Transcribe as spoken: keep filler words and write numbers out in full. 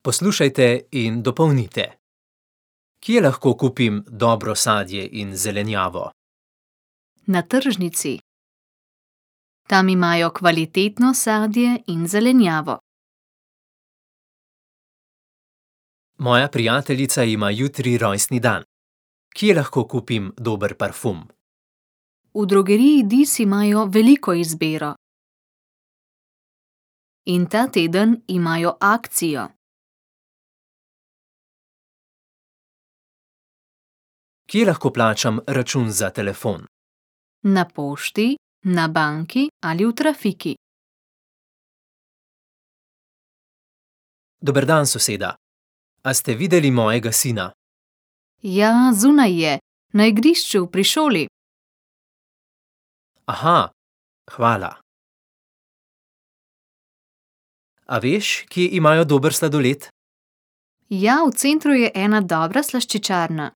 Poslušajte in dopolnite. Kje lahko kupim dobro sadje in zelenjavo? Na tržnici. Tam imajo kvalitetno sadje in zelenjavo. Moja prijateljica ima jutri rojstni dan. Kje lahko kupim dober parfum? V drogeriji Dis imajo veliko izbiro. In ta teden imajo akcijo. Kje lahko plačam račun za telefon? Na pošti, na banki ali v trafiki. Dober dan, soseda. A ste videli mojega sina? Ja, zunaj je, na igrišču pri šoli. Aha, hvala. A veš, kje imajo dober sladoled? Ja, v centru je ena dobra slaščičarna.